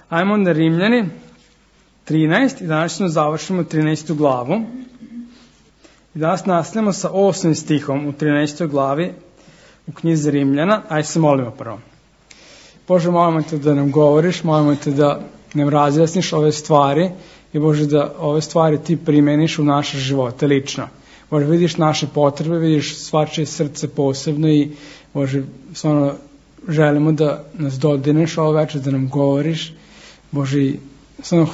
Ajmo onda Rimljani 13 i danas ćemo završimo 13. glavu. I danas nastavljamo sa 8. stihom u 13. glavi u knjizi Rimljana. Ajde se molimo prvo. Bože, molimo te da nam govoriš, molimo te da nam razjasniš ove stvari i Bože da ove stvari ti primeniš u naše živote lično. Bože, vidiš naše potrebe, vidiš svačije srce posebno i Bože, stvarno želimo da nas dodirneš ovo večer, da nam govoriš. Bože, stvarno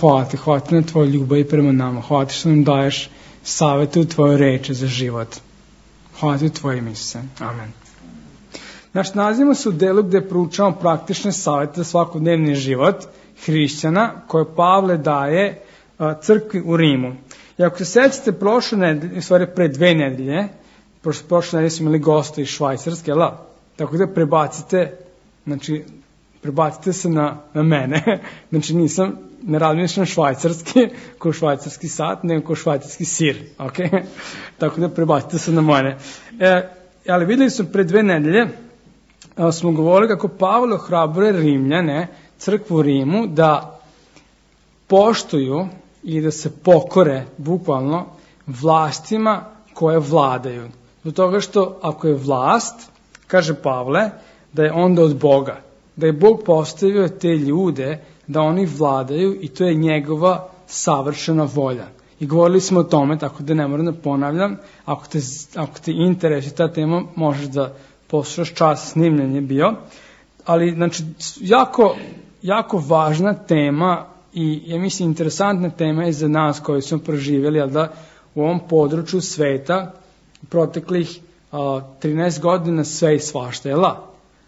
hvala ti na tvoju ljubav i prema nama. Hvala ti što nam daješ savete u tvojoj reči za život. Hvala ti u tvoje ime, Isuse. Amen. Nalazimo se u delu gde proučavamo praktične savete za svakodnevni život hrišćana koje Pavle daje crkvi u Rimu. I ako se sećate prošle nedelje, u stvari pre 2 nedelje, prošle nedelje smo imali gosta iz Švajcarske, tako da prebacite se na mene, znači ne razmišljam švajcarski, ko švajcarski sat, nego ko švajcarski sir, ok? Tako da prebacite se na mene. Ali videli smo pre 2 nedelje, smo govorili kako Pavle ohrabruje Rimljane, crkvu u Rimu, da poštuju i da se pokore, bukvalno, vlastima koje vladaju. Zbog toga što ako je vlast, kaže Pavle, da je onda od Boga. Da je Bog postavio te ljude da oni vladaju i to je njegova savršena volja. I govorili smo o tome, tako da ne moram da ponavljam. Ako te interesuje ta tema, možeš da poslušaš čas snimljen je bio. Ali, znači, jako važna tema i, ja mislim, interesantna tema je za nas koji smo proživjeli, ali da u ovom području sveta proteklih 13 godina sve i svašta je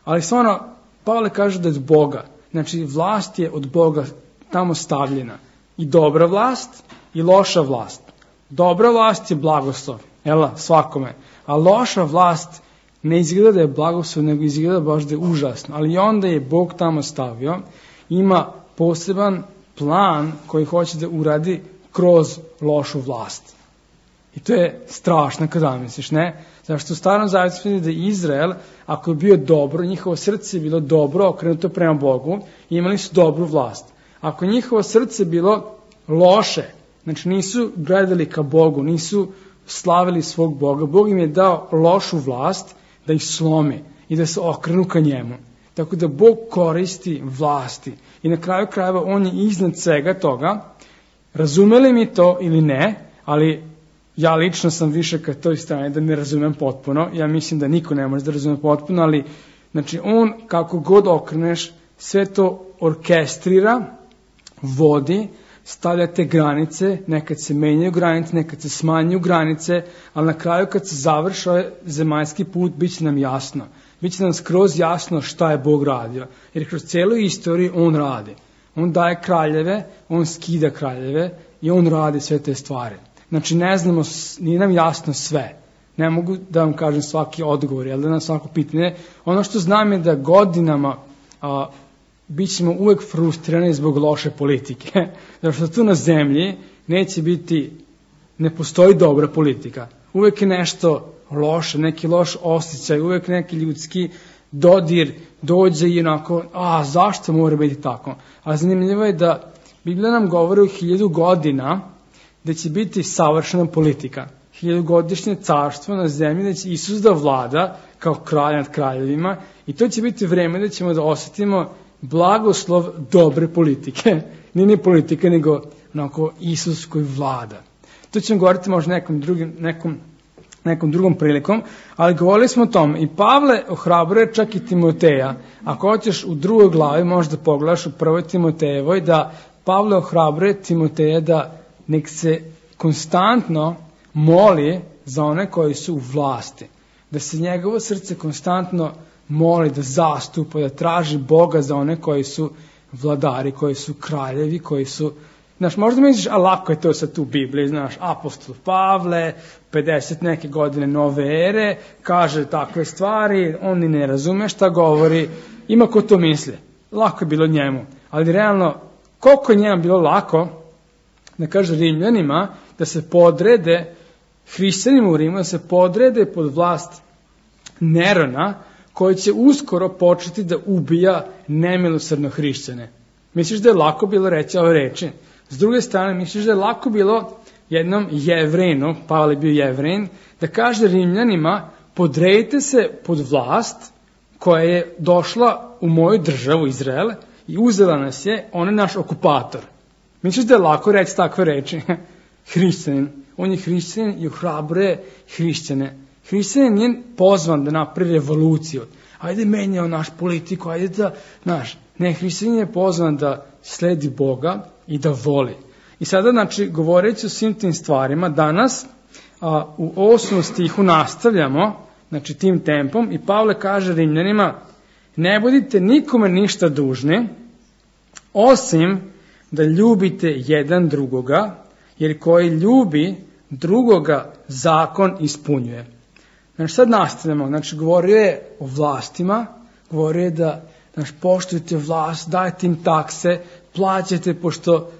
Ali stvarno, Pavle kaže da je od Boga. Znači, vlast je od Boga tamo stavljena. I dobra vlast i loša vlast. Dobra vlast je blagoslov, svakome. A loša vlast ne izgleda da je blagoslov, nego izgleda baš da je užasno. Ali onda je Bog tamo stavio, ima poseban plan koji hoće da uradi kroz lošu vlast. I to je strašno kad zamisliš, ne? Zašto u Starom Zavjetu vidi da Izrael, ako je bio dobro, njihovo srce je bilo dobro, okrenuto prema Bogu, imali su dobru vlast. Ako je njihovo srce bilo loše, znači nisu gledali ka Bogu, nisu slavili svog Boga, Bog im je dao lošu vlast da ih slomi i da se okrenu ka njemu. Tako da Bog koristi vlasti. I na kraju krajeva on je iznad svega toga. Razumeli mi to ili ne, ali ja lično sam više ka toj strani da ne razumem potpuno. Ja mislim da niko ne može da razume potpuno, ali znači on kako god okreneš sve to orkestrira, vodi, stavlja te granice, nekad se menjaju granice, nekad se smanjuju granice, ali na kraju kad se završi ovaj zemaljski put, bit će nam jasno. Biće nam skroz jasno šta je Bog radio. Jer kroz cijelu istoriju on radi. On daje kraljeve, on skida kraljeve i on radi sve te stvari. Znači ne znamo, nije nam jasno sve. Ne mogu da vam kažem svaki odgovor, da na svako pitanje. Ono što znam je da godinama bit ćemo uvek frustrirani zbog loše politike. Zato što tu na zemlji ne postoji dobra politika. Uvek je nešto loše, neki loš osjećaj, uvek neki ljudski dodir dođe i onako, zašto mora biti tako? A zanimljivo je da Biblija nam govori o 1000 godina da će biti savršena politika. 1000-godišnje carstvo na zemlji, da će Isus da vlada kao kralj nad kraljevima i to će biti vreme da ćemo da osjetimo blagoslov dobre politike. Nije ni politika, nego onako Isus koji vlada. To ćemo govoriti možda nekom drugom prilikom, ali govorili smo o tom. I Pavle ohrabruje čak i Timoteja. Ako hoćeš u 2. glavi, možda pogledaš u 1. Timotejevoj, da Pavle ohrabruje Timoteja da nek se konstantno moli za one koji su u vlasti. Da se njegovo srce konstantno moli, da zastupa, da traži Boga za one koji su vladari, koji su kraljevi, koji su... Znaš, možda misliš, lako je to sad tu u Bibliji, znaš, apostol Pavle, 50 neke godine nove ere, kaže takve stvari, on ni ne razume šta govori, ima ko to misli. Lako je bilo njemu, ali realno, koliko je njemu bilo lako, da kaže Rimljanima, da se podrede, hrišćanima u Rimu, da se podrede pod vlast Nerona, koji će uskoro početi da ubija nemilosrdno hrišćane. Misliš da je lako bilo reći ove reči? S druge strane, misliš da je lako bilo jednom Jevrejinu, Pavle je bio Jevrejin, da kaže Rimljanima, podredite se pod vlast koja je došla u moju državu, Izrael, i uzela nas je, on je naš okupator. Misliš da je lako reći takve reči? Hrišćanin. On je hrišćanin i ohrabruje hrišćane. Hrišćanin nije pozvan da napravi revoluciju. Ajde menjao naš politiku, ajde da, ne, hrišćanin je pozvan da sledi Boga i da voli. I sada, znači, govoreći o svim tim stvarima, danas u 8. stihu nastavljamo, znači, tim tempom, i Pavle kaže Rimljanima, ne budite nikome ništa dužni, osim da ljubite jedan drugoga, jer koji ljubi drugoga zakon ispunjuje. Znači, sad nastavljamo, znači, govorio je o vlastima, govorio je da, znači, poštujete vlast, dajte im takse, plaćate, pošto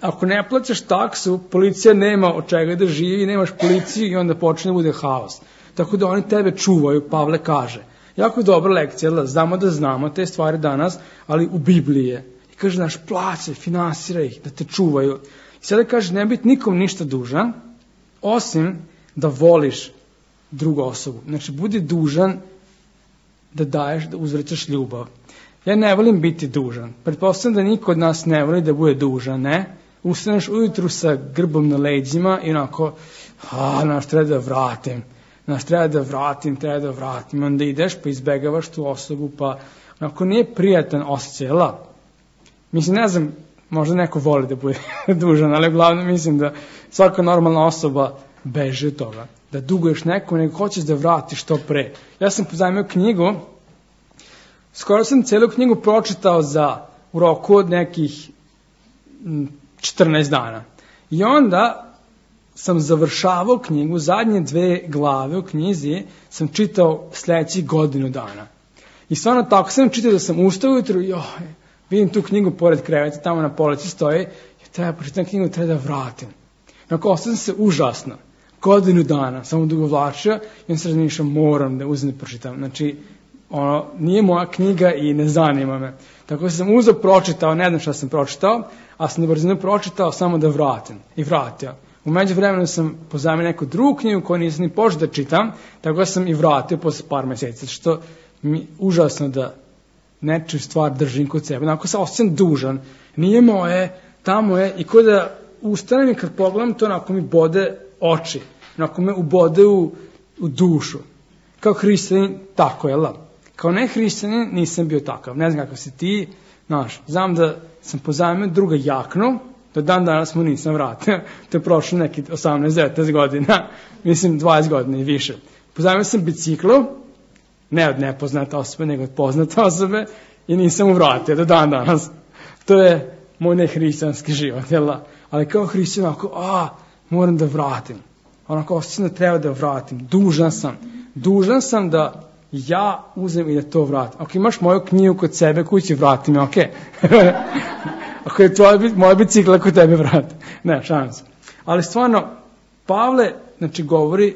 ako ne plaćaš taksu, policija nema od čega da živi, nemaš policiju i onda počne da bude haos. Tako da oni tebe čuvaju, Pavle kaže. Jako je dobra lekcija, znamo da znamo te stvari danas, ali u Bibliji je. I kaže, naš plaće, finansira ih, da te čuvaju. I sada kaže, ne biti nikom ništa dužan, osim da voliš drugu osobu. Znači, budi dužan da daješ, da uzvraćaš ljubav. Ja ne volim biti dužan. Pretpostavljam da niko od nas ne voli da bude dužan, ne? Ustaneš ujutru sa grbom na leđima i onako, treba da vratim. Onda ideš pa izbegavaš tu osobu, pa onako nije prijatan osjećaj, Mislim, ne znam, možda neko voli da bude dužan, ali uglavnom mislim da svaka normalna osoba beži od toga. Da duguješ nekom, nego hoćeš da vratiš što pre. Ja sam pozajmio knjigu, skoro sam celu knjigu pročitao u roku od nekih 14 dana. I onda sam završavao knjigu, zadnje 2 glave u knjizi sam čitao sledećih godinu dana. I stvarno tako sam čitao da sam ustao ujutru i vidim tu knjigu pored kreveta, tamo na polici stoji, treba pročitam knjigu, treba da vratim. Onako, ostao sam se užasno. Godinu dana, samo dugovlačio i on se razmišljao, moram da uzem da pročitam. Znači, nije moja knjiga i ne zanima me. Tako sam uzeo, pročitao, ne znam šta sam pročitao, a sam na brzinu pročitao samo da vratim. I vratio. U međuvremenu sam pozajmio neku drugu knjigu koju nisam ni počeo da čitam, tako sam i vratio posle par meseci, što mi užasno da nečiju stvar držim kod sebe. Onako sam osjećam dužan, nije moje, tamo je, i kod da ustanem i kad pogledam to, onako mi bode oči, onako me ubode u dušu. Kao hrišćanin, tako je, Kao ne hrišćanin nisam bio takav. Ne znam kako si ti, znam da sam pozajmio druga jaknu, do dan danas mu nisam vratio. To je prošlo neki 18-19 godina, mislim 20 godina i više. Pozajmio sam biciklu, ne od nepoznate osobe, nego od poznate osobe, i nisam mu vratio do dan danas. To je moj nehrišćanski život, ali kao hrišćan, moram da vratim. Onako osjećam da treba da vratim. Dužan sam da ja uzem i da to vratim. Ako imaš moju knjigu kod sebe, kući vratim, ok? Ako je moja bicikla kod tebe vrati. Ne, šalim se. Ali stvarno, Pavle, znači, govori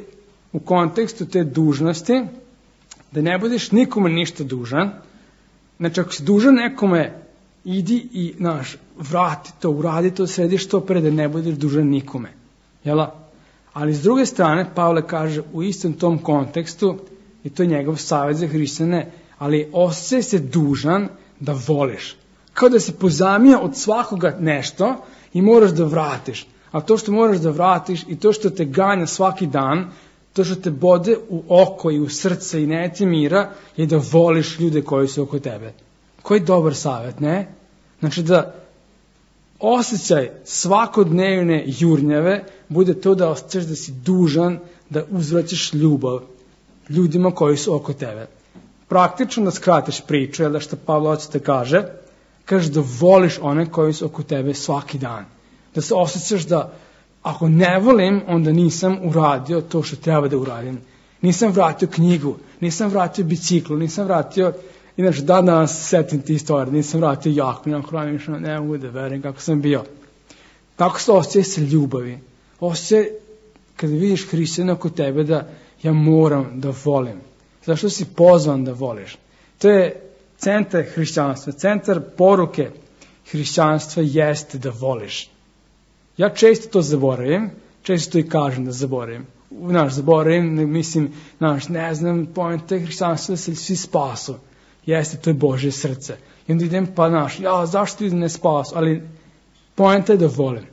u kontekstu te dužnosti, da ne budeš nikome ništa dužan. Znači, ako si dužan nekome, idi i, vrati to, uradi to, središ to pre da ne budeš dužan nikome. Jela? Ali s druge strane, Pavle kaže u istom tom kontekstu, i to je njegov savjet za hrišćane, ali osjećaj se dužan da voliš. Kao da se pozajmio od svakoga nešto i moraš da vratiš. A to što moraš da vratiš i to što te ganja svaki dan, to što te bode u oko i u srce i ne ti mira, je da voliš ljude koji su oko tebe. Koji dobar savjet, ne? Znači da osjećaj svakodnevne jurnjave bude to da osjećaš da si dužan da uzvraćaš ljubav ljudima koji su oko tebe. Praktično da skratiš priču, jer da što Pavle hoće te kaže da voliš one koji su oko tebe svaki dan. Da se osjećaš da ako ne volim, onda nisam uradio to što treba da uradim. Nisam vratio knjigu, nisam vratio biciklu, nisam vratio, inače danas setim ti stvari, nisam vratio jaknu, ne mogu da verujem kako sam bio. Tako se osjećaj sa ljubavi. Osjećaj kada vidiš hrišćana oko tebe da ja moram da volim. Zašto si pozvan da voliš? To je centar hrišćanstva, centar poruke hrišćanstva jeste da voliš. Ja često to zaboravim, često to i kažem da zaboravim. Zaboravim, mislim, ne znam, poenta hrišćanstva da se svi spasu. Jeste, to je Božje srce. I onda idem, zašto ljudi ne spasu? Ali poenta je da volim.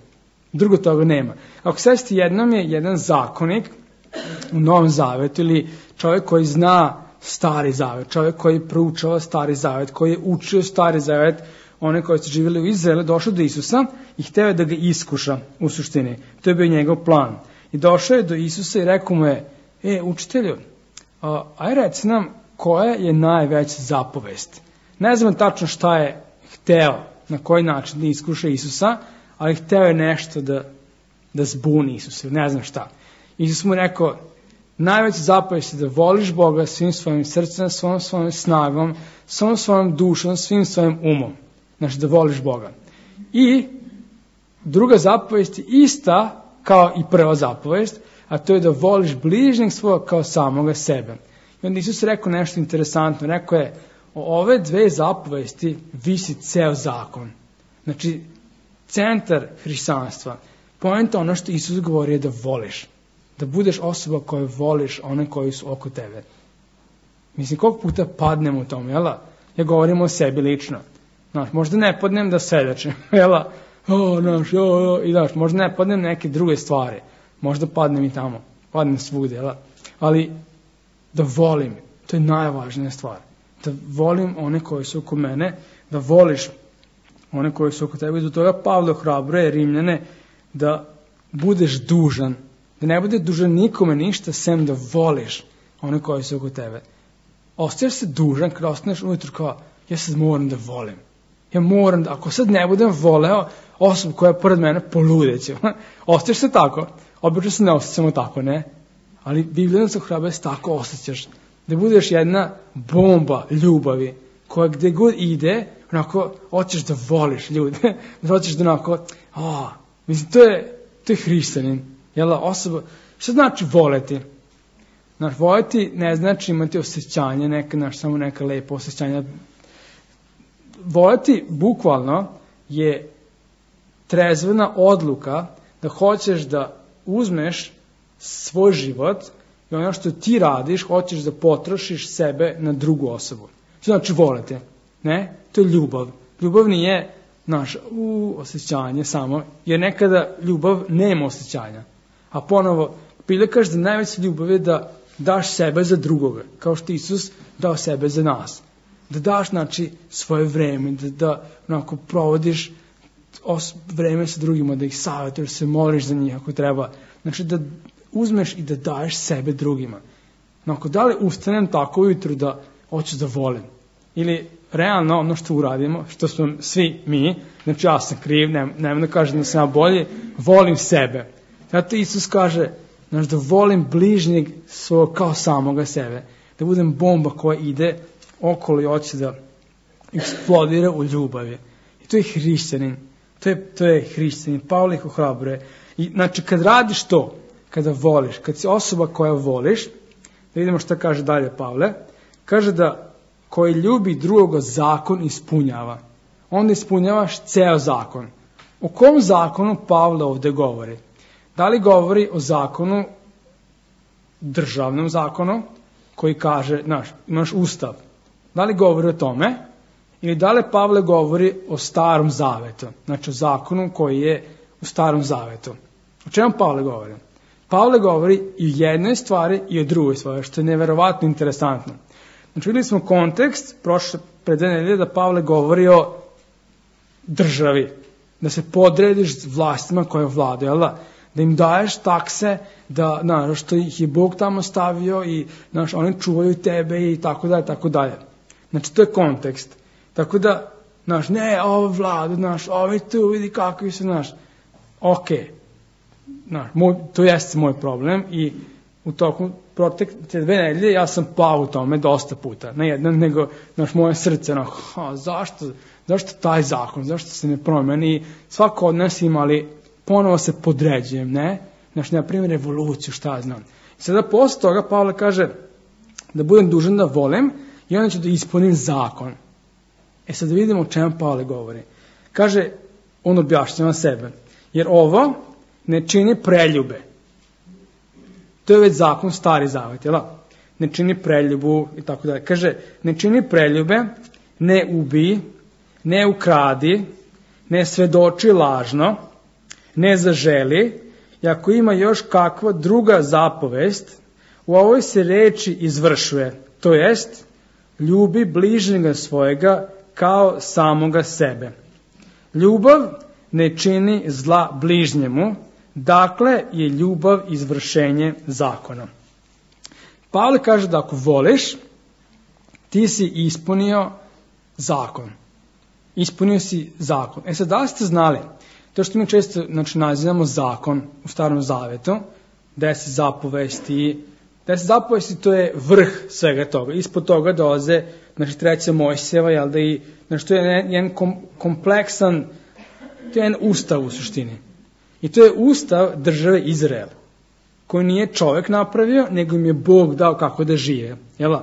Drugo toga nema. Ako sećate, jednom je jedan zakonik u Novom Zavetu ili čovjek koji zna Stari Zavet, čovjek koji proučava Stari Zavet, koji je učio Stari Zavet, one koji su živjeli u Izraelu, došao do Isusa i hteo je da ga iskuša u suštini. To je bio njegov plan. I došao je do Isusa i rekao mu je, učitelju, aj reci nam koja je najveća zapovest. Ne znam tačno šta je hteo, na koji način da iskuša Isusa, ali hteo je nešto da zbuni Isusa, ne znam šta. Isus mu rekao, najveća zapovest je da voliš Boga svim svojim srcem, svom svojom snagom, svom svojom dušom, svim svojim umom. Znači da voliš Boga. I druga zapovest je ista kao i prva zapovest, a to je da voliš bližnjeg svoga kao samoga sebe. I onda Isus rekao nešto interesantno. Rekao je, o ove dve zapovesti visi ceo zakon. Znači, centar hrišćanstva. Poenta ono što Isus govori je da voliš. Da budeš osoba koju voliš one koji su oko tebe. Mislim, koliko puta padnemo u tome, jel? Ja govorim o sebi lično. Možda ne padnem da svedočim, jel? Možda ne padnem neke druge stvari. Možda padnem i tamo. Padnem svugde, jel? Ali da volim, to je najvažnija stvar. Da volim one koji su oko mene, da voliš one koji su oko tebe. I do toga Pavle ohrabruje Rimljane da budeš dužan, da ne bude dužan nikome ništa, sem da voliš one koji su oko tebe. Ostaješ se dužan kada ostaneš ujutru kao, ja sad moram da volim. Ja moram da, ako sad ne budem voleo osobu koja je pored mene, poludeću. Ostaješ se tako. Obično se ne osjećamo tako, ne? Ali Biblija nas ohrabruje da se tako osjećaš. Da budeš jedna bomba ljubavi koja gde god ide, onako, hoćeš da voliš ljude. Da hoćeš da onako, mislim, to je hrišćanin. Jel, osoba, što znači voleti? Voleti ne znači imati osjećanje, samo neka lepa osjećanja. Voleti, bukvalno, je trezvena odluka da hoćeš da uzmeš svoj život i ono što ti radiš, hoćeš da potrošiš sebe na drugu osobu. Što znači voleti? Ne? To je ljubav. Ljubav nije naš osjećanje samo, jer nekada ljubav nema osjećanja. A ponovo, Biblija kaže da najveća ljubav je da daš sebe za drugoga, kao što Isus dao sebe za nas. Da daš, znači, svoje vreme, da onako provodiš vreme sa drugima, da ih savjetuješ, se moliš za njih ako treba. Znači, da uzmeš i da daješ sebe drugima. Onako, da li ustanem tako ujutru da hoću da volim? Ili realno ono što uradimo, što smo svi mi, znači ja sam kriv, nemam da kažem da sam ja bolji, volim sebe. Zato Isus kaže, znači, da volim bližnjeg svog kao samoga sebe. Da budem bomba koja ide okolo i hoće da eksplodira u ljubavi. I to je hrišćanin. To je hrišćanin. Pavle ih ohrabruje. I znači, kad radiš to, kada voliš, kad si osoba koja voliš, da vidimo šta kaže dalje Pavle, kaže da koji ljubi drugoga zakon ispunjava. Onda ispunjavaš ceo zakon. O kom zakonu Pavle ovde govori? Da li govori o zakonu, državnom zakonu, koji kaže, imaš ustav. Da li govori o tome? Ili da li Pavle govori o Starom Zavetu? Znači o zakonu koji je u Starom Zavetu. O čemu Pavle govori? Pavle govori i o jednoj stvari i o drugoj stvari, što je neverovatno interesantno. Znači vidjeli smo kontekst pred 2 nedelje da Pavle govori o državi. Da se podrediš vlastima koje vladaju, da im daješ takse, da što ih je Bog tamo stavio i oni čuvaju tebe i tako dalje, tako dalje. Znači to je kontekst. Tako da, ne, ovo vladu, ovi tu, vidi kakvi su, okej. To jeste moj problem i u toku protekle 2 nedelje ja sam pao u tome dosta puta. Ne jednom, nego moje srce, zašto taj zakon, zašto se ne promeni? Svako od nas ima, ali ponovo se podređujem, ne? Na primjer, revoluciju, šta znam. I sada posle toga Pavle kaže da budem dužan da volim i onda ću da ispunim zakon. Sad da vidimo o čemu Pavle govori. Kaže, on objašnjava sebe. Jer ovo ne čini preljube. To je već zakon, stari zavet, jel? Ne čini preljubu i tako dalje. Kaže, ne čini preljube, ne ubij, ne ukradi, ne svedoči lažno, ne zaželi, i ako ima još kakva druga zapovest, u ovoj se reči izvršuje, to jest, ljubi bližnjega svojega kao samoga sebe. Ljubav ne čini zla bližnjemu, dakle je ljubav izvršenje zakona. Pavle kaže da ako voliš, ti si ispunio zakon. Ispunio si zakon. Sad, da li ste znali, to što mi često nazivamo zakon u Starom Zavetu, 10 zapovesti, 10 zapovesti to je vrh svega toga. Ispod toga dolaze, treća Mojsijeva, jel da i, to je jedan kompleksan, to je jedan ustav u suštini. I to je ustav države Izrael, koji nije čovjek napravio, nego im je Bog dao kako da žive. Jel?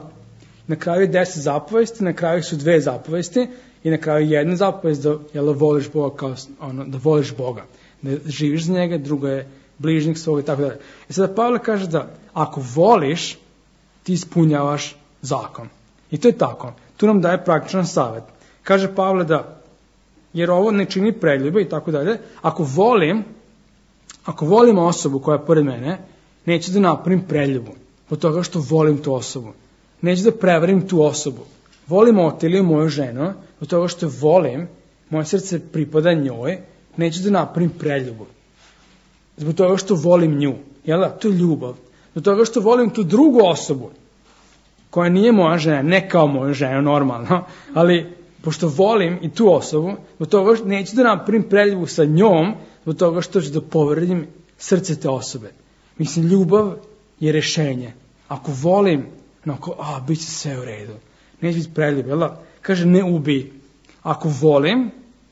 Na kraju je 10 zapovesti, na kraju su 2 zapovesti i na kraju jedna zapovest da voliš Boga kao da voliš Boga, da živiš za njega, drugo je bližnjeg svoga i tako dalje. I sada Pavle kaže da ako voliš, ti ispunjavaš zakon. I to je tako. Tu nam daje praktičan savjet. Kaže Pavle da, jer ovo ne čini preljube i tako dalje, ako volim osobu koja je pored mene, neću da napravim preljubu, po toga što volim tu osobu. Neću da prevarim tu osobu. Volim Otiliju, moju ženu, po toga što volim, moje srce pripada njoj, neću da napravim preljubu. Zbog toga što volim nju. Jel da? To je ljubav. Zbog toga što volim tu drugu osobu, koja nije moja žena, ne kao moju ženu, normalno, ali pošto volim i tu osobu, zbog toga što neću da napravim preljubu sa njom, zbog toga što ću da povredim srce te osobe. Mislim, ljubav je rešenje. Ako volim, bit će sve u redu. Neće biti preljub, jel da? Kaže, ne ubij. Ako volim,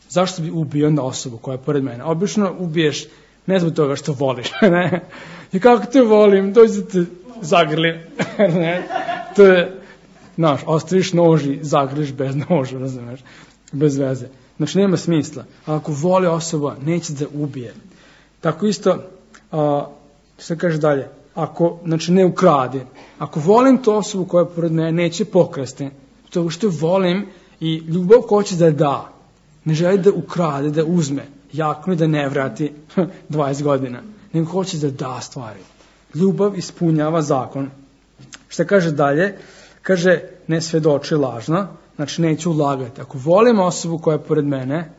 zašto bi ubio onda osobu koja je pored mene? Obično ubiješ ne zbog toga što voliš, ne? I kako te volim, dođi da te zagrlim, ne? To je, ostaviš nož i zagrliš bez noža, razumeš? Bez veze. Znači, nema smisla. A ako voli osoba, neće da ubije. Tako isto, što kaže dalje, ako, ne ukradi. Ako volim tu osobu koja je pored mene, neće pokrasti. To što volim i ljubav hoće da da. Ne želi da ukrade, da uzme. Jakno i da ne vrati 20 godina. Nego hoće da da stvari. Ljubav ispunjava zakon. Šta kaže dalje? Kaže, ne svedoči lažno. Znači, neću lagati. Ako volim osobu koja je pored mene,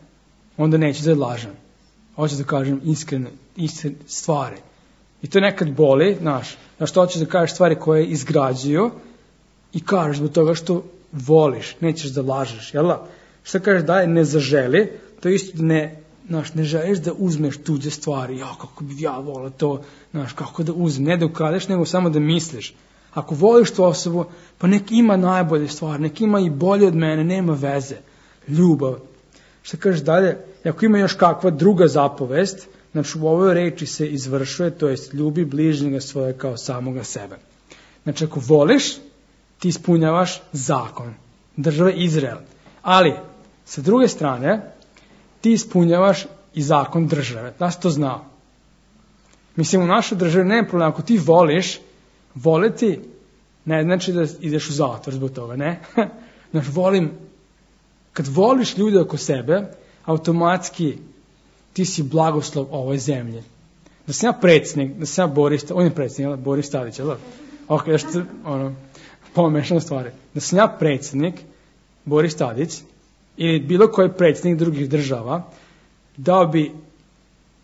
onda neću da je lažem. Hoću da kažem iskrene stvari. I to nekad boli, što hoćeš da kažeš stvari koje izgrađuju i kažeš zbog toga što voliš, nećeš da lažeš, jel da? Šta kažeš da je ne zaželi, to isto da ne želiš da uzmeš tuđe stvari, kako bi ja volao to, kako da uzmeš, ne da ukradeš, nego samo da misliš. Ako voliš tu osobu, pa nek ima najbolje stvari, nek ima i bolje od mene, nema veze, ljubav. Šta kažeš dalje, ako ima još kakva druga zapovest, znači u ovoj reči se izvršuje, to jest ljubi bližnjega svoje kao samoga sebe. Znači ako voliš, ti ispunjavaš zakon države Izrael. Ali, sa druge strane, ti ispunjavaš i zakon države. Da si to znao? Mislim, u našoj državi nema problema. Ako ti voliš, voliti ne znači da ideš u zatvor zbog toga, ne? Znači, kad voliš ljude oko sebe, automatski ti si blagoslov ovoj zemlji. Da sam ja predsjednik, da sam ja on je predsjednik, Boris Tadić, jel? Ok, što pomešano stvari. Da sam ja predsjednik, Boris Tadić, ili bilo koji predsjednik drugih država, dao bi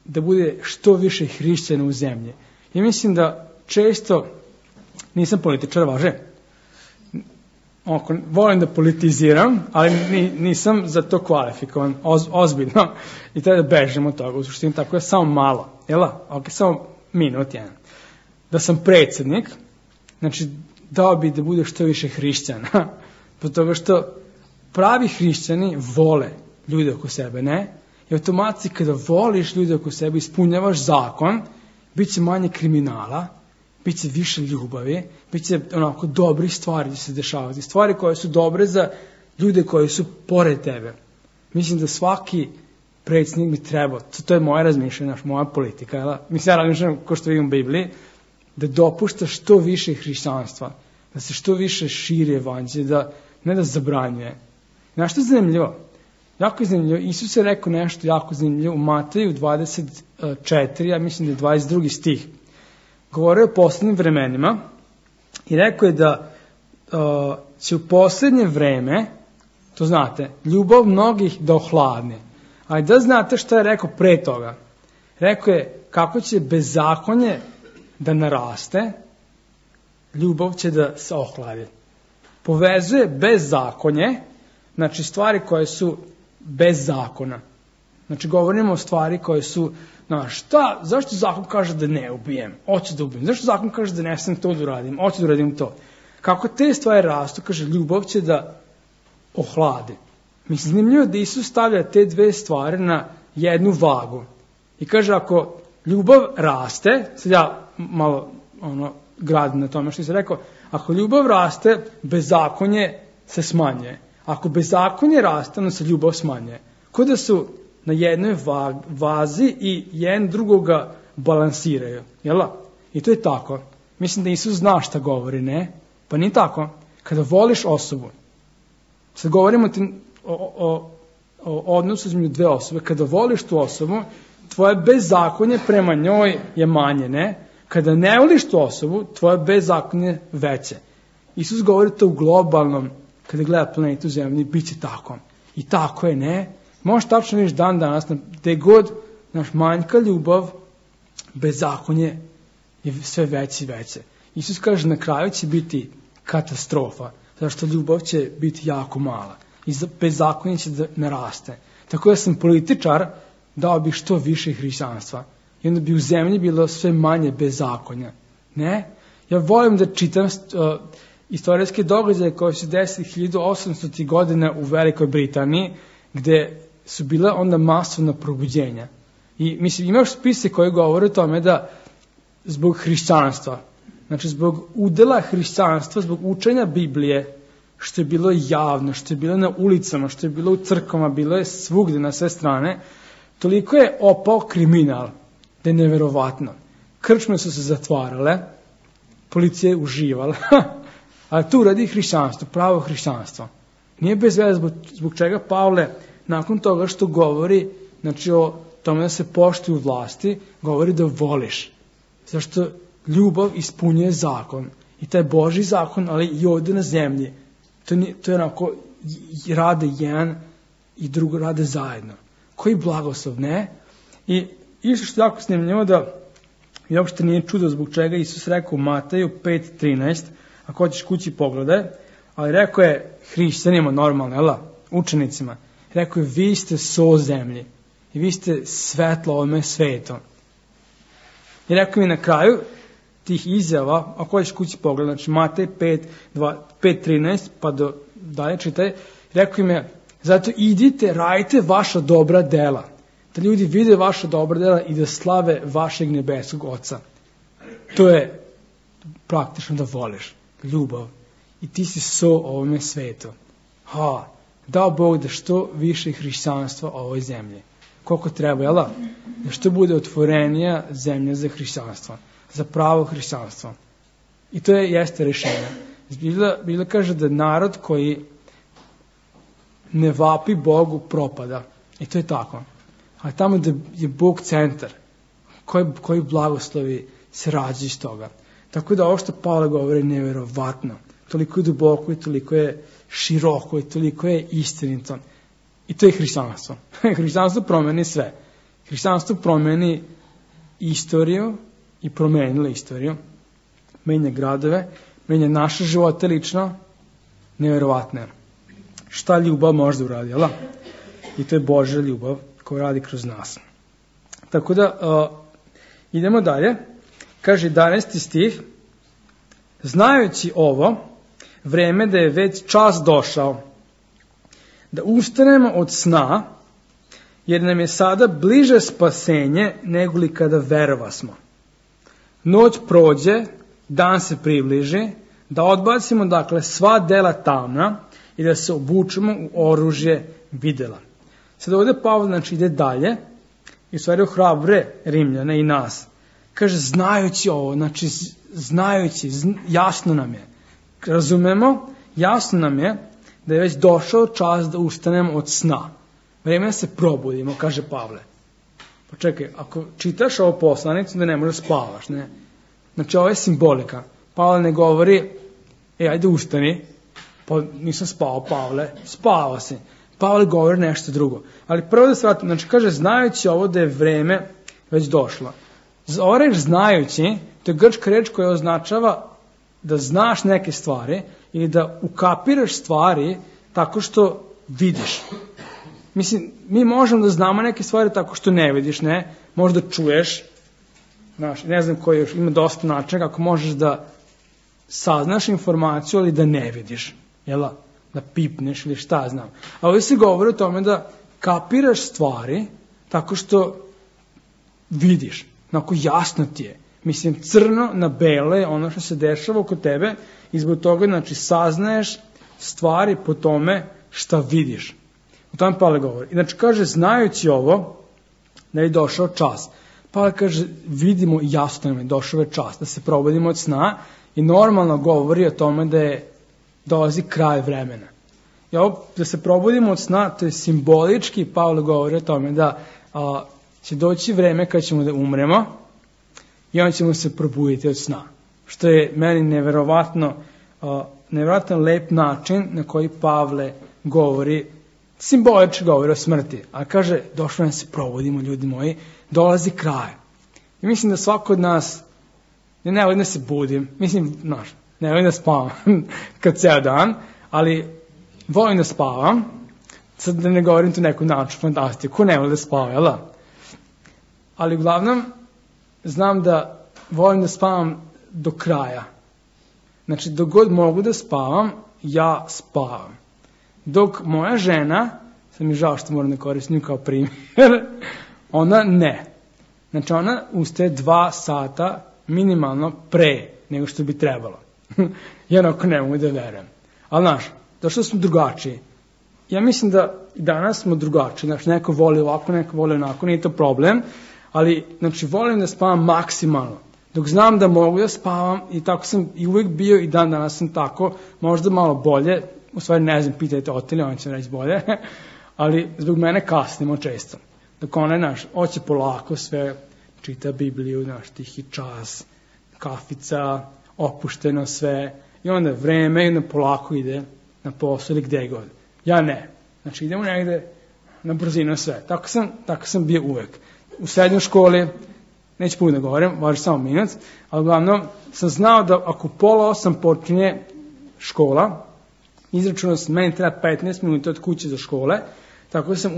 da bude što više hrišćana u zemlji. I mislim da često, nisam političar, važe, volim da politiziram, ali nisam za to kvalifikovan, ozbiljno, i treba da bežim od toga, u suštini tako je samo malo, samo minut jedan. Da sam predsjednik, znači dao bi da bude što više hrišćana, po toga što pravi hrišćani vole ljude oko sebe, ne? I automatski kada voliš ljude oko sebe, ispunjavaš zakon, bit će manje kriminala, bit će više ljubavi, bit će dobrih stvari da se dešavati. Stvari koje su dobre za ljude koji su pored tebe. Mislim da svaki predsjednik bi trebao, to je moje razmišljanje, moja politika, mislim ja razmišljam ko što vidim u Bibliji, da dopušta što više hrišćanstva, da se što više širi evanđelje, ne da zabranjuje. Znaš što je zanimljivo? Jako je zanimljivo. Isus je rekao nešto jako zanimljivo u Mateju 24, ja mislim da je 22. stih. Govorio je o posljednjim vremenima i rekao je da će u posljednje vreme, to znate, ljubav mnogih da ohladne. Ali da znate šta je rekao pre toga? Rekao je kako će bezakonje da naraste, ljubav će da se ohladi. Povezuje bezakonje, znači stvari koje su bez zakona. Znači govorimo o stvari koje su, zašto zakon kaže da ne ubijem? Hoću da ubijem. Zašto zakon kaže da ne sam to da uradim? Hoću da uradim to. Kako te stvari rastu, kaže, ljubav će da ohladi. Mislim, zanimljivo da Isus stavlja te dve stvari na jednu vagu. I kaže, ako ljubav raste, sad ja malo gradim na tome što se rekao, ako ljubav raste, bezakonje se smanjuje. Ako bezakonje raste, onda se ljubav smanjuje. Kao da su na jednoj vazi i jedan drugoga balansiraju. Jel' I to je tako. Mislim da Isus zna šta govori, ne? Pa nije tako. Kada voliš osobu, sad govorimo o odnosu između dve osobe, kada voliš tu osobu, tvoje bezakonje prema njoj je manje, ne? Kada ne voliš tu osobu, tvoje bezakonje je veće. Isus govori to u globalnom, kada gleda planetu Zemlji, bit će tako. I tako je, ne? Možeš tačno vidiš dan danas, gde god manjka ljubav, bezakonje je sve veće i veće. Isus kaže, na kraju će biti katastrofa, zato što ljubav će biti jako mala. I bezakonje će da naraste. Tako da sam političar, dao bih što više hrišćanstva. I onda bi u zemlji bilo sve manje bezakonja. Ne? Ja volim da čitam istorijske događaje koje su desili 1800. godina u Velikoj Britaniji, gde su bile onda masovna probuđenja. I mislim, imaš spise koji govore o tome da zbog hrišćanstva, znači zbog udela hrišćanstva, zbog učenja Biblije, što je bilo javno, što je bilo na ulicama, što je bilo u crkvama, bilo je svugde na sve strane, toliko je opao kriminal da je neverovatno. Krčme su se zatvarale, policija je uživala, ali tu radi hrišćanstvo, pravo hrišćanstvo. Nije bez veze zbog čega Pavle, nakon toga što govori, znači o tome da se poštuju vlasti, govori da voliš. Zašto ljubav ispunjuje zakon. I taj Božji zakon, ali i ovdje na zemlji. To je onako, rade jedan i drugo rade zajedno. Koji blagoslov, ne? I isto što je jako snimljivo da i uopšte nije čudo zbog čega Isus rekao u Mateju 5.13, ako hoćeš kući pogledaj, ali rekao je hrišćanima normalno, učenicima, rekao je vi ste so zemlji i vi ste svetlo ovome svetom. I rekao mi na kraju tih izjava, ako hoćeš kući pogledaj, znači Matej 5.13 pa do dalje čitaj, rekao im je, zato idite, radite vaša dobra dela, da ljudi vide vaša dobra dela i da slave vašeg nebeskog Oca. To je praktično da voliš, ljubav. I ti si so ovome svetu. Dao Bog da što više hrišćanstva o ovoj zemlji. Koliko treba, jel da? Da što bude otvorenija zemlja za hrišćanstvo, za pravo hrišćanstvo. I to jeste rješenje. Biblia kaže da narod koji ne vapi Bogu propada. I to je tako. A tamo da je Bog centar, koji blagoslovi se rađe iz toga. Tako da ovo što Pavle govori je nevjerovatno. Toliko je duboko i toliko je široko i toliko je istinito. I to je hrišćanstvo. Hrišćanstvo promeni sve. Hrišćanstvo promeni istoriju i promenilo istoriju. Menja gradove, menja naše živote lično. Nevjerovatno je. Šta ljubav može da uradi, jel? I to je Božja ljubav koja radi kroz nas. Tako da, idemo dalje. Kaže 11. stih, znajući ovo, vreme da je već čas došao, da ustanemo od sna, jer nam je sada bliže spasenje nego li kada verovasmo. Noć prođe, dan se približi, da odbacimo dakle sva dela tamna i da se obučemo u oružje videla. Sad ovdje Pavle znači ide dalje i u stvari ohrabre Rimljane i nas. Kaže, znajući ovo, znači znajući, jasno nam je, razumemo, jasno nam je da je već došao čas da ustanemo od sna. Vreme da se probudimo, kaže Pavle. Pa čekaj, ako čitaš ovo poslanicu, da ne možeš spavaš, ne? Znači, ovo je simbolika. Pavle ne govori, ajde ustani, pa nisam spao, Pavle, spavao si. Pavle govori nešto drugo. Ali prvo da se vratim, znači kaže, znajući ovo da je vreme već došlo. Ova reč znajući, to je grčka reč koja označava da znaš neke stvari ili da ukapiraš stvari tako što vidiš. Mislim, mi možemo da znamo neke stvari tako što ne vidiš, ne? Možda čuješ, znaš, ne znam koji još, ima dosta načina kako možeš da saznaš informaciju, ali da ne vidiš, jel' da pipneš ili šta znam. A ovdje se govori o tome da kapiraš stvari tako što vidiš, onako jasno ti je. Mislim, crno na belo je ono što se dešava oko tebe i zbog toga, znači, saznaješ stvari po tome šta vidiš. O tome Pavle govori. Znači, kaže, znajući ovo, da je došao čas. Pavle kaže, vidimo jasno nam je došao je čas, da se probudimo od sna i normalno govori o tome da je dolazi kraj vremena. I ovo, da se probudimo od sna, to je simbolički, Pavle govori o tome da će doći vreme kad ćemo da umremo i onda ćemo se probuditi od sna. Što je meni neverovatno lep način na koji Pavle govori, simbolički govori o smrti. A kaže, došlo nam se probudimo, ljudi moji, dolazi kraj. I mislim da svako od nas, ne volim da se budim, mislim, ne volim da spavam kad ceo dan, ali volim da spavam, sad da ne govorim tu neku naču fantastiku, ko ne voli da spava, jel da? Ali uglavnom, znam da volim da spavam do kraja. Znači, dok god mogu da spavam, ja spavam. Dok moja žena, sad mi žao što moram da koristim kao primjer, ona ne. Znači, ona ustaje 2 sata minimalno pre nego što bi trebalo. Ja onako ne mogu da verujem. Ali, znaš, zašto smo drugačiji? Ja mislim da danas smo drugačiji. Znači, neko voli ovako, neko voli onako, nije to problem. Ali, znači, volim da spavam maksimalno. Dok znam da mogu da spavam i tako sam i uvijek bio i dan danas sam tako, možda malo bolje, u stvari ne znam, pitajte Otilje, on će reći bolje, ali zbog mene kasnimo često. Dok ona, hoće polako sve, čita Bibliju, tihi čas, kafica, opušteno sve, i onda vreme i onda polako ide na posao ili gde god. Ja ne. Znači, idemo negde na brzinu sve. Tako sam bio uvek. U srednjoj školi, neću puno da govorim, važi samo minut, ali uglavnom sam znao da ako 7:30 počinje škola, izračunao sam, meni treba 15 minuta od kuće za škole, tako da sam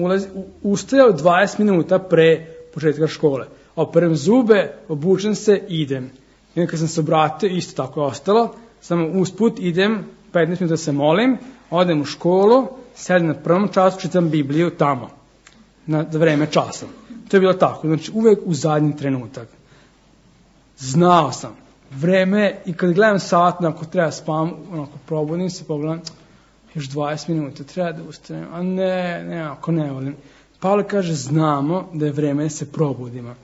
ustajao 20 minuta pre početka škole. Operem zube, obučem se, idem. I onda kad sam se obratio, isto tako je ostalo, samo usput idem, 15 minuta se molim, odem u školu, sedim na prvom času, čitam Bibliju tamo, na vreme časa. To je bilo tako, znači uvek u zadnji trenutak. Znao sam, vreme, i kad gledam sat, ako treba spavam, probudim se, pogledam, još 20 minuta, treba da ustanem, a ne, ako ne volim. Pavle kaže, znamo da je vreme da se probudimo.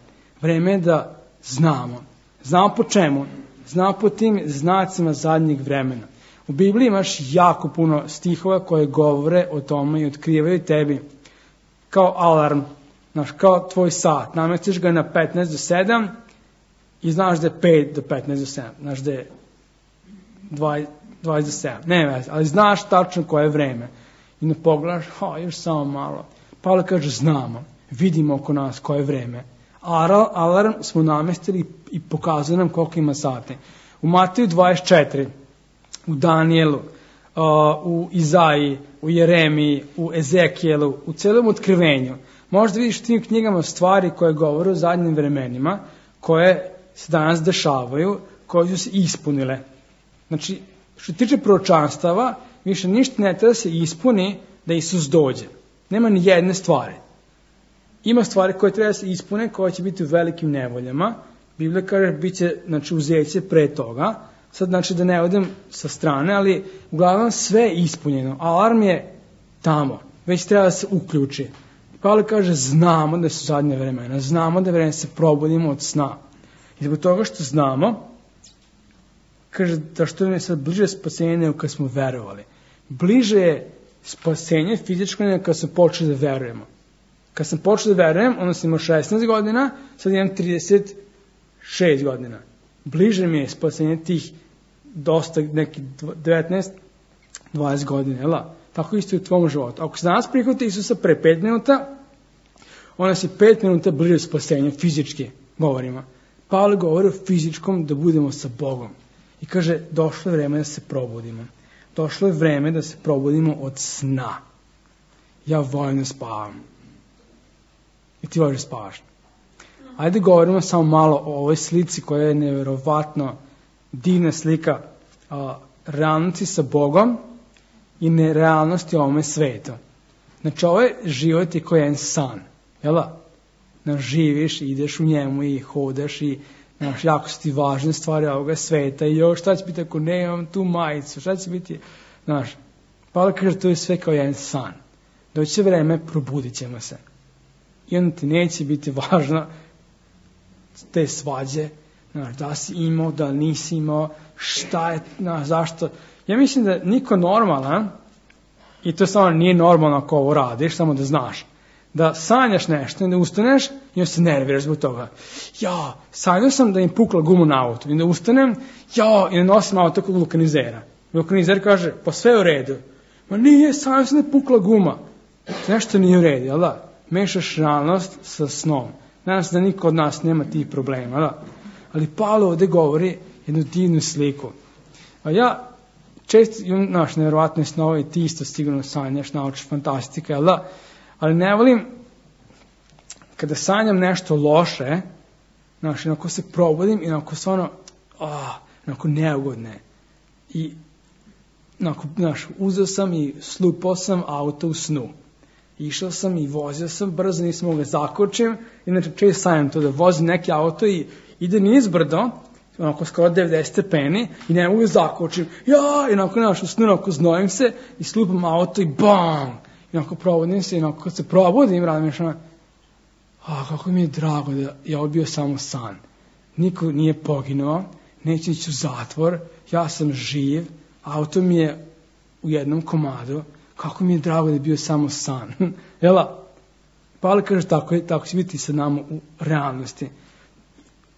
Vreme je da znamo. Znamo po čemu? Znamo po tim znacima zadnjeg vremena. U Bibliji imaš jako puno stihova koje govore o tome i otkrivaju tebi kao alarm, kao tvoj sat. Namestiš ga na 15 do 7 i znaš da je 5 do 15 do 7. Znaš da je 20 do 7. Ne veze, ali znaš tačno koje je vreme. I ne pogledaš, još samo malo. Pavle kaže, znamo, vidimo oko nas koje je vreme. Alarm smo namestili i pokazuje nam koliko ima sati. U Mateju 24, u Danijelu, u Izaiji, u Jeremiji, u Ezekijelu, u celom otkrivenju. Možda vidiš u tim knjigama stvari koje govore o zadnjim vremenima, koje se danas dešavaju, koje su se ispunile. Znači, što se tiče proročanstava, više ništa ne treba da se ispuni da Isus dođe. Nema ni jedne stvari. Ima stvari koje treba da se ispune, koje će biti u velikim nevoljama. Biblija kaže, bit će uzeće pre toga, sad znači da ne odem sa strane, ali uglavnom sve je ispunjeno. Alarm je tamo, već treba da se uključi. Pavle kaže, znamo da su zadnje vremena, znamo da je vreme se probudimo od sna. I zbog toga što znamo, kaže da što je sad bliže spasenje nego kad smo verovali. Bliže je spasenje fizičko nego kad smo počeli da verujemo. Kad sam počeo da verujem, onda sam imao 16 godina, sad imam 36 godina. Bliže mi je spasenje tih dosta, neki 19-20 godina, jel? Tako isto i u tvom životu. Ako se danas prihvati Isusa pre 5 minuta, onda si 5 minuta bliže spasenju, fizički govorimo. Pavle govori o fizičkom da budemo sa Bogom. I kaže, došlo je vreme da se probudimo. Došlo je vreme da se probudimo od sna. Ja volim da spavam. I ti voliš da spavaš. Ajde govorimo samo malo o ovoj slici koja je nevjerovatno divna slika realnosti sa Bogom i nerealnosti u ovome svetu. Znači, ovaj život je kao jedan san. Jel? Živiš, ideš u njemu i hodaš i jako su ti važne stvari ovoga sveta i još šta će biti ako nemam tu majicu, šta će biti, Pavle kaže, to je sve kao jedan san. Doći će vreme, probudit ćemo se. I onda ti neće biti važno te svađe, da si imao, da nisi imao, šta je, zašto. Ja mislim da niko normalan, i to samo nije normalno ako ovo radiš, samo da znaš, da sanjaš nešto i da ustaneš i onda se nerviraš zbog toga. Ja, sanjao sam da im pukla guma na auto i da ustanem, i da nosim auto kod vulkanizera. Vulkanizer kaže, pa sve je u redu. Ma nije, sanjao sam da je pukla guma. Nešto nije u redu, jel da? Mešaš realnost sa snom. Nadam se da niko od nas nema tih problema, jel da? Ali Pavle ovdje govori jednu divnu sliku. A ja često imam nevjerovatne snove i ti isto sigurno sanjaš, naučiš fantastika, jel da? Ali ne volim kada sanjam nešto loše, onako se probudim i onako se onako neugodne. I uzeo sam i slupao sam auto u snu. Išao sam i vozio sam brzo, nisam mogao zakočim. Inače često sanjam to da vozim neki auto i ide nizbrdo, onako skoro 90 stepeni i ne mogu zakočim. I onako u snu onako znojim se i slupam auto i bam! I onako probudim se i onako kad se probudim radim još kako mi je drago da je ovo bio samo san. Niko nije poginuo, neće ići u zatvor, ja sam živ, auto mi je u jednom komadu, kako mi je drago da je bio samo san. Jela? Pavle kaže tako će biti sa nama u realnosti.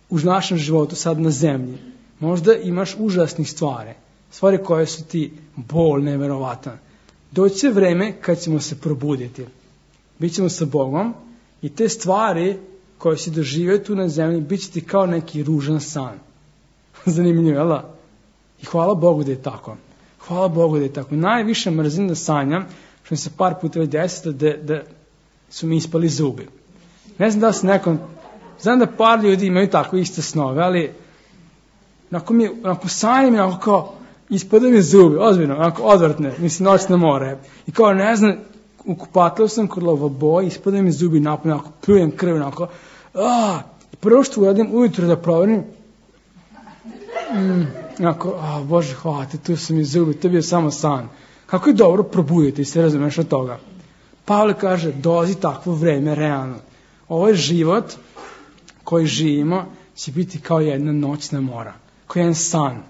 U našem životu sad na zemlji. Možda imaš užasnih stvari koje su ti bol neverovatan. Doći će vreme kad ćemo se probuditi. Bićemo sa Bogom i te stvari koje si doživio tu na zemlji bit će ti kao neki ružan san. Zanimljivo, jel? I hvala Bogu da je tako. Hvala Bogu da je tako. Najviše mrzim da sanjam, što mi se par puta već desilo da su mi ispali zubi. Ne znam da se nekom... Znam da par ljudi imaju tako iste snove, ali onako sanjam i onako kao ispadaju mi zubi, ozbiljno, onako odvrtne, mislim noćne more. I kao ne znam, u kupatlu sam kod lavaboja, ispadaju mi zubi napolje, onako pljujem krv, onako, prvo što uradim ujutro da proverim, onako, Bože hvala ti, tu su mi zubi, to je bio samo san. Kako je dobro probuditi se, razumeš od toga. Pavle kaže, dolazi takvo vreme, realno. Ovo je život koji živimo, će biti kao jedna noćna mora, kao jedan san.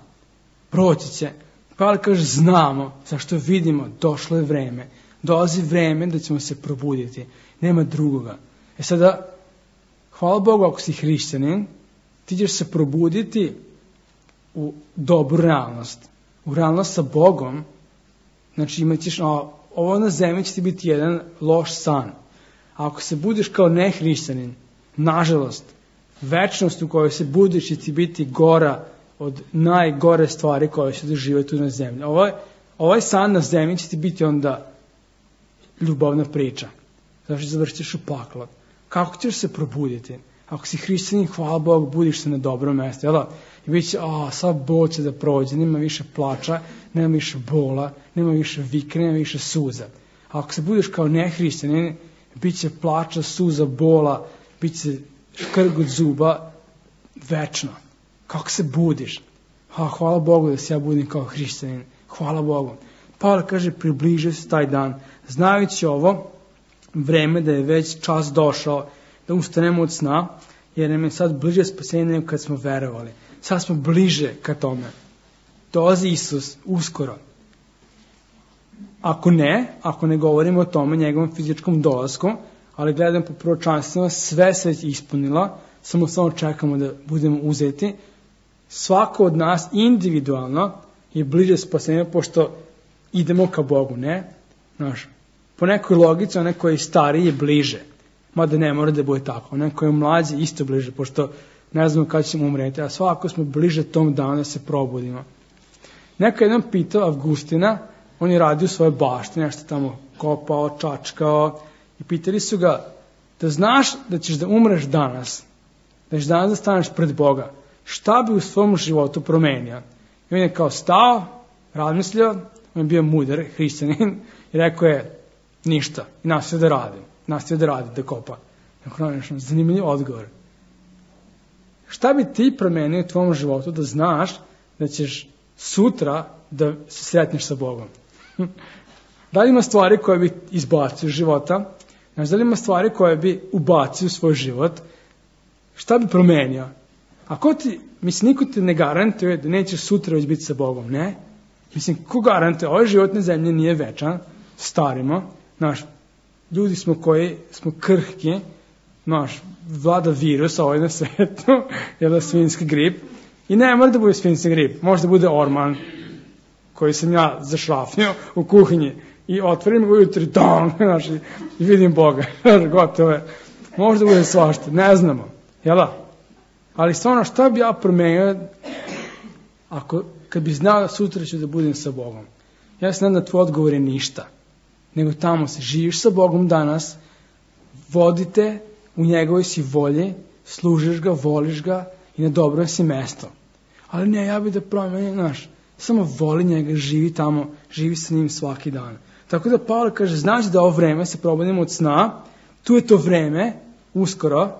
Proći će. Pavle kaže, znamo, zašto vidimo, došlo je vreme. Dolazi vreme da ćemo se probuditi. Nema drugoga. Sada, hvala Bogu ako si hrišćanin, ti ćeš se probuditi u dobru realnost. U realnost sa Bogom. Znači imat ćeš, ovo na zemlji će ti biti jedan loš san. A ako se budiš kao nehrišćanin, nažalost, večnost u kojoj se budiš će ti biti gora od najgore stvari koje se doživaju tu na zemlji. Ovaj san na zemlji će ti biti onda ljubavna priča. Znači završit ćeš u paklu. Kako ćeš se probuditi? Ako si hrišćanin, hvala Bogu, budiš se na dobrom mjestu. Jel? I bit će, sad bol će da prođe, nema više plača, nema više bola, nema više vike, nema više suza. A ako se budiš kao nehrišćanin, bit će plača, suza, bola, bit će škrgut zuba večno. Kako se budiš? hvala Bogu da se ja budim kao hrišćanin. Hvala Bogu. Pavle kaže, približio se taj dan. Znajući ovo vreme da je već čas došao da ustanemo od sna, jer nam je sad bliže spasenje nego kad smo verovali. Sad smo bliže ka tome. Dolazi Isus uskoro. Ako ne govorimo o tome, njegovom fizičkom dolasku, ali gledam po proročanstvima, sve se već ispunila, samo čekamo da budemo uzeti. Svako od nas individualno je bliže spasenju, pošto idemo ka Bogu, ne? Znaš, po nekoj logici, onaj koji je stariji je bliže. Mada ne mora da bude tako. Onaj koji je mlađi isto bliže, pošto ne znamo kada ćemo umreti, a svako smo bliže tom danu da se probudimo. Neko je jednom pitao Avgustina, on je radio u svojoj bašti, nešto tamo kopao, čačkao, i pitali su ga, da znaš da ćeš da umreš danas, da ćeš danas da staneš pred Boga, šta bi u svom životu promenio? I on je kao stao, razmislio, on je bio mudar, hrišćanin, i rekao je, ništa, i nastavio da radi, da kopa. Zanimljiv odgovor. Šta bi ti promenio u tvom životu da znaš da ćeš sutra da se sretneš sa Bogom? Da li ima stvari koje bi izbacio iz života? Znaš, da li ima stvari koje bi ubacio u svoj život? Šta bi promenio? Niko ti ne garantuje da nećeš sutra već biti sa Bogom, ne? Ko garantuje? Ovaj život na zemlji nije večan, starimo, znaš, ljudi smo koji smo krhki, znaš, vlada virus ovaj na svetu, je da svinjski grip, i ne mora da bude svinjski grip, može da bude orman, koji sam ja zašrafnio u kuhinji, i otvorim ga ujutri, znaš, i vidim Boga, gotovo je. Može da bude svašta, ne znamo, jel da? Ali stvarno, šta bi ja promenio kad bi znao da sutra ću da budem sa Bogom? Ja znam da tvoj odgovor je ništa, nego tamo se živiš sa Bogom danas, vodite u njegovoj si volji, služiš ga, voliš ga i na dobro si mesto. Ali ne, ja bih da promenim, znaš, samo voli njega, živi tamo, živi sa njim svaki dan. Tako da Pavle kaže, znaš da ovo vreme se probudimo od sna, tu je to vreme, uskoro,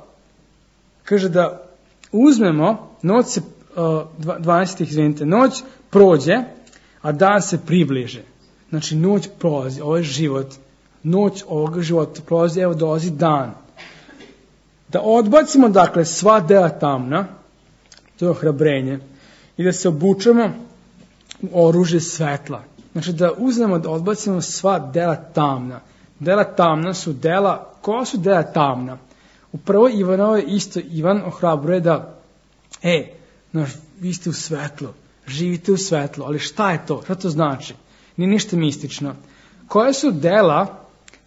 kaže da uzmemo, noć prođe, a dan se približe. Znači, noć prolazi, ovo je život, noć ovoga života prolazi, evo dolazi dan. Da odbacimo, dakle, sva dela tamna, to je ohrabrenje, i da se obučemo u oružje svetla. Znači, da uzmemo, da odbacimo sva dela tamna. Dela tamna su dela, koja su dela tamna? U prvoj Ivanovoj isto Ivan ohrabruje da, znaš, vi ste u svetlu, živite u svetlu, ali šta je to? Šta to znači? Nije ništa mistično. Koje su dela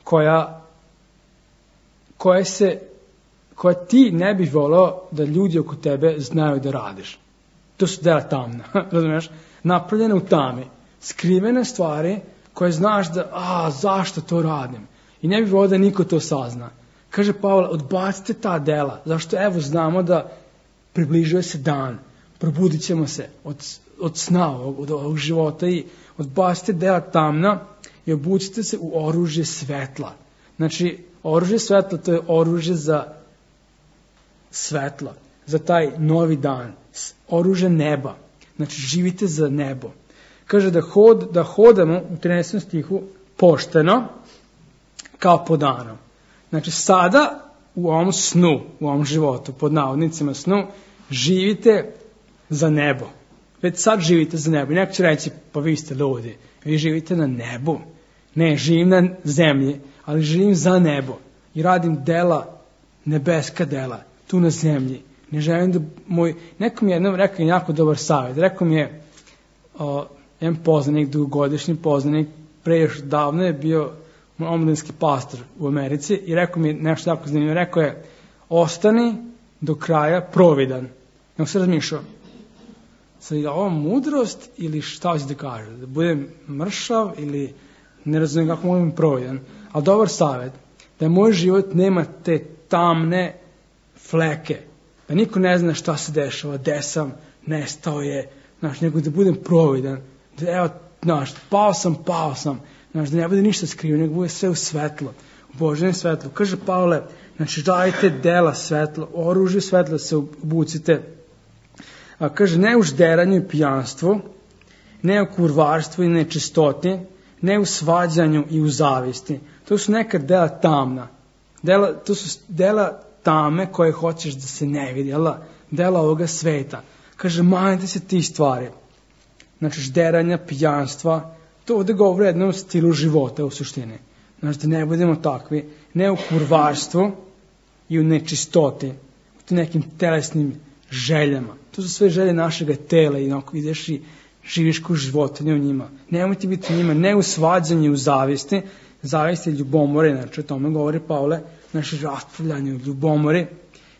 koja ti ne bih voleo da ljudi oko tebe znaju da radiš? To su dela tamna, razumiješ? Napravljene u tami, skrivene stvari koje znaš da, zašto to radim? I ne bih voleo da niko to sazna. Kaže Pavle, odbacite ta dela, zašto evo znamo da približuje se dan, probudit ćemo se od sna, od ovog života i odbacite dela tamna i obucite se u oružje svetla. Znači, oružje svetla, to je oružje za svetlo, za taj novi dan, oružje neba. Znači, živite za nebo. Kaže da hodamo u 13. stihu pošteno kao po danu. Znači, sada u ovom snu, u ovom životu, pod navodnicima snu, živite za nebo. Već sad živite za nebo. I neko će reći, pa vi ste ljudi, vi živite na nebu. Ne, živim na zemlji, ali živim za nebo. I radim dela, nebeska dela, tu na zemlji. Ne želim da neko mi je jednom rekao jako dobar savjet. Rekao mi je, jedan poznanik, dugogodišnji poznanik, pre još davno je bio omladinski pastor u Americi i rekao mi nešto jako zanimljivo. Rekao je, ostani do kraja providan. Ja se razmišljao, sad je ovo mudrost ili šta hoće da kaže? Da budem mršav ili ne razumijem kako mogu biti providan. Ali dobar savjet, da moj život nema te tamne fleke, da niko ne zna šta se dešava, gde sam, nestao je, nego da budem providan, da evo, pao sam, da ne bude ništa skriveno, nego bude sve u svetlo, u Božjem svetlu. Kaže Pavle, znači radite dela svetla, oružje svetla se obucite, kaže, ne u žderanju i pijanstvu, ne u kurvarstvu i nečistoti, ne u svađanju i u zavisti. To su neka dela tamna. To su dela tame koje hoćeš da se ne vidi, dela ovoga sveta. Kaže, manite se tih stvari. Znači, žderanja, pijanstva, to ovde govori o jednom stilu života u suštini. Znači, da ne budemo takvi, ne u kurvarstvu i u nečistoti, u nekim telesnim željama. To su sve želje našega tela i onako ideš i živiš ko životinje u njima. Nemojte biti u njima, ne u svađanju i u zavisti. Zavisti ljubomore, znači o tome govori Pavle, naše raspravljanje u ljubomori,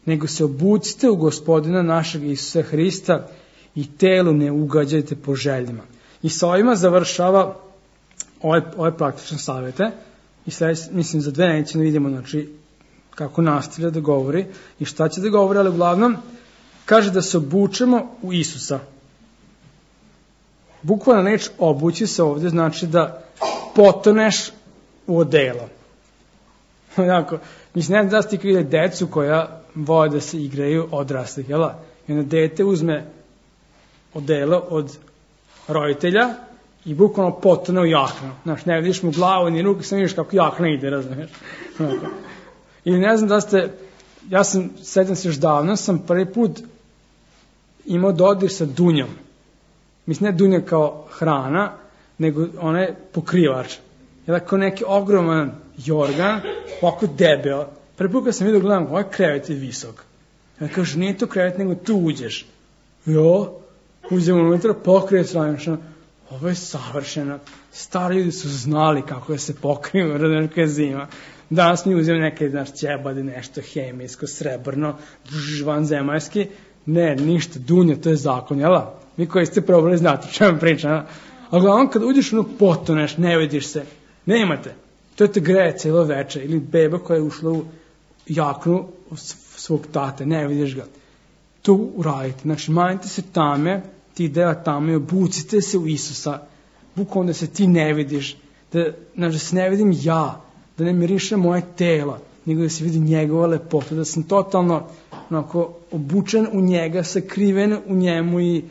nego se obucite u Gospodina našeg Isusa Hrista i telu ne ugađajte po željima. I sa ovima završava ove praktične savjete i mislim za 2 nedelje vidimo znači, kako nastavlja da govori i šta će da govori, ali uglavnom kaže da se obučemo u Isusa. Bukvalna reč obući se ovdje znači da potoneš u odelo. Jako, mislim, ne znam da ste vidjeli decu koja vole da se igraju odraslih, jel? I onda dete uzme odelo od roditelja i bukvalno potone u jaknu. Znaš, ne vidiš mu glavu ni ruke, sam vidiš kako jakna ide, razumiješ? Ili ne znam da ste, sećam se još davno, sam prvi put imao dodir sa dunjom. Mislim, ne dunja kao hrana, nego ona je pokrivač. Jel, kao neki ogroman jorgan, ovako debel. Prvi put kad sam vidio, gledam, ovaj krevet je visok. Ja kažem, nije to krevet, nego tu uđeš. Jo, uđemo unutra, pokrije stranično. Ovo je savršeno. Stari ljudi su znali kako da se pokriju, razumiješ, kada je zima. Danas mi uzimamo neke, znaš, ćebade, nešto hemijsko, srebrno, vanzemaljski. Ne, ništa, dunja, to je zakon, jel? Vi koji ste probali znati o čemu pričam. A uglavnom, kad uđeš ono potoneš, ne vidiš se, nemate. To te greje cijelo veče. Ili beba koja je ušla u jaknu svog tate, ne vidiš ga. To uradite. Znači, manite se tame, ti dela tame, obucite se u Isusa. Bukvalno da se ti ne vidiš. Da se ne vidim ja, da ne miriše moje telo, nego da se vidi njegova lepota, da sam totalno onako, obučen u njega, sakriven u njemu i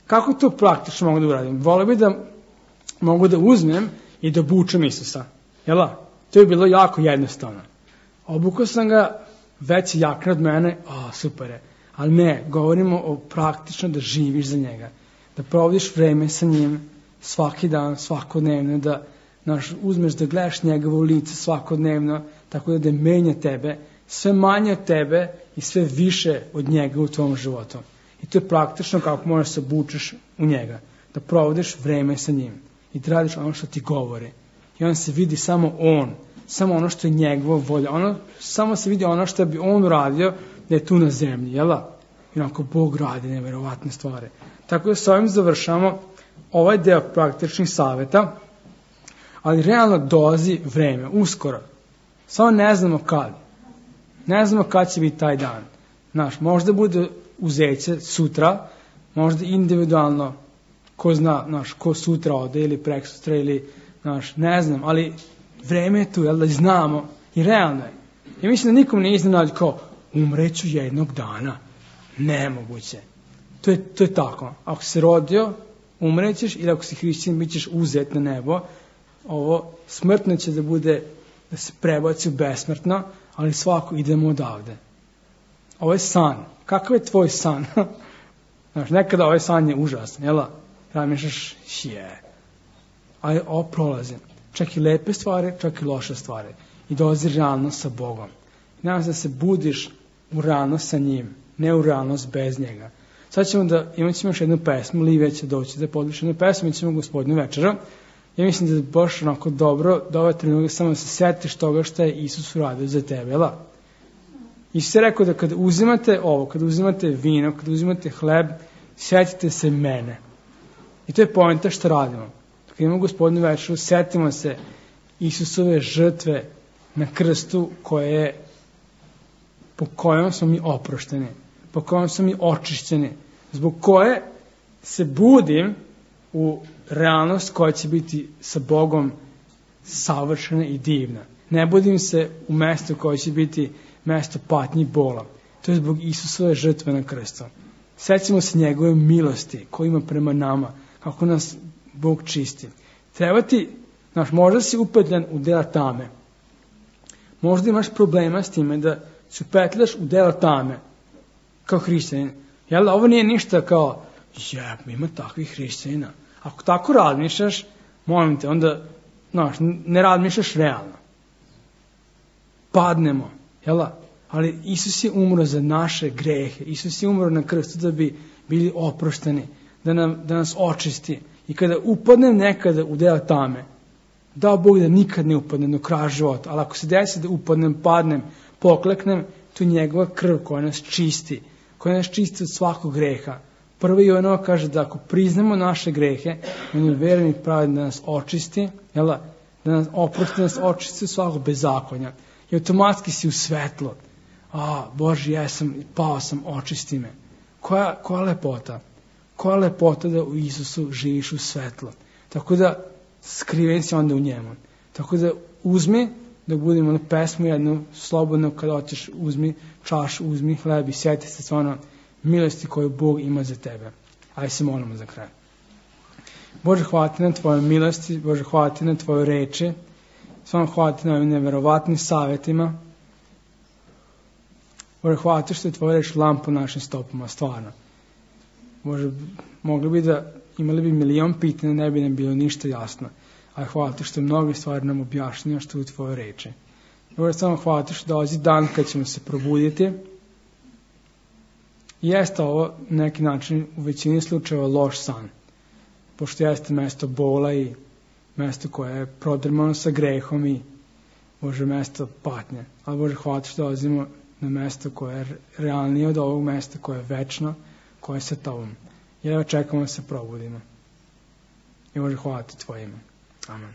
kako to praktično mogu da uradim? Voleo bi da mogu da uzmem i da obučem Isusa. Jela? To je bilo jako jednostavno. Obukao sam ga, već je jakna od mene, super je. Ali ne, govorimo o praktično da živiš za njega. Da provodiš vreme sa njim svaki dan, svakodnevno, da uzmeš da gledaš njegovo lice svakodnevno, tako da menja tebe, sve manje od tebe i sve više od njega u tvom životu. I to je praktično kako možeš se obučeš u njega. Da provodiš vreme sa njim i da radiš ono što ti govori. I on se vidi samo on, samo ono što je njegova volja. Samo se vidi ono što bi on uradio da je tu na zemlji, jel? I onako Bog radi neverovatne stvari. Tako da s ovim završamo ovaj deo praktičnih savjeta, ali realno dolazi vreme, uskoro. Samo ne znamo kad. Ne znamo kad će biti taj dan. Možda bude uzeće sutra, možda individualno, ko zna, ko sutra ode ili preksutra ili, ne znam, ali vreme je tu, jel da znamo i realno je. I mislim da nikom ne iznenađe kao, umreću jednog dana. Nemoguće. To je tako. Ako se rodio, umrećeš ili ako si hrišćanin, bit ćeš uzet na nebo. Ovo smrtno će da bude, da se prebaci u besmrtno, ali svako idemo odavde. Ovo je san. Kakav je tvoj san? Nekada ovaj san je užasan, jel? Razmišljaš, ali ovo prolazi. Čak i lepe stvari, čak i loše stvari. I dolazi realnost sa Bogom. Nadam se da se budiš u realnost sa njim, ne u realnost bez njega. Sad ćemo imat ćemo još jednu pesmu, Livija će doći da podliši jednu pesmu, imat ćemo Gospodinu večera. Ja mislim da je baš onako dobro da ovaj trenutak samo se sjetiš toga što je Isus uradio za tebe, jel? Isus je rekao da kada uzimate ovo, kada uzimate vino, kada uzimate hleb, sjetite se mene. I to je poenta što radimo. Kada imamo Gospodinu večeru, sjetimo se Isusove žrtve na krstu po kojom smo mi oprošteni, po kojom smo mi očišćeni, zbog koje se budim u realnost koja će biti sa Bogom savršena i divna. Ne budim se u mesto koje će biti mesto patnji i bola. To je zbog Isusove žrtve na krstu. Sećamo se njegove milosti koju ima prema nama, kako nas Bog čisti. Treba ti, možda si upetljan u dela tame. Možda imaš problema s time da se upetljaš u dela tame kao hrišćanin. Jel da ovo nije ništa kao, ima takvih hrišćanina. Ako tako razmišljaš, molim te, onda ne razmišljaš realno. Padnemo, jel da? Ali Isus je umro za naše grehe. Isus je umro na krstu da bi bili oprošteni, da nas očisti. I kada upadnem nekada u dela tame, dao Bog da nikad ne upadnem do kraja života, ali ako se desi da upadnem, padnem, pokleknem, to je njegova krv koja nas čisti, koja nas čisti od svakog greha. Prvo Jovanova kaže da ako priznamo naše grehe, on je veren i pravedan da nas očisti, da nas oprosti, da nas očisti od svakog bezakonja. I automatski si u svetlo. Bože, pao sam, očisti me. Koja lepota? Koja lepota da u Isusu živiš u svetlo. Tako da skriven si onda u njemu. Tako da uzmi, da budemo na pesmu jednu, slobodno kada otiš, uzmi čašu, uzmi hleb i sjeti se stvarno milosti koju Bog ima za tebe. Ajde se molimo za kraj. Bože, hvala ti na tvojoj milosti, Bože, hvala ti na tvojoj reči, stvarno hvala ti na ovim neverovatnim savjetima. Bože, hvala ti što je tvoja reč lampa našim stopama, stvarno. Bože, imali bi milion pitanja, ne bi nam bilo ništa jasno. Ali hvala ti što je mnoge stvari nam objašnjeno što je u tvojoj reči. Bože, samo hvala ti što dolazi dan kad ćemo se probuditi. Jeste ovo na neki način u većini slučajeva loš san. Pošto jeste mesto bola i mesto koje je prodrmano sa grehom i Bože, mesto patnje. Ali Bože, hvala ti što dolazimo na mesto koje je realnije od ovog mesta, koje je večno, koje je sa tobom. I evo čekamo da se probudimo. I Bože, hvala ti tvoje ime. Amen.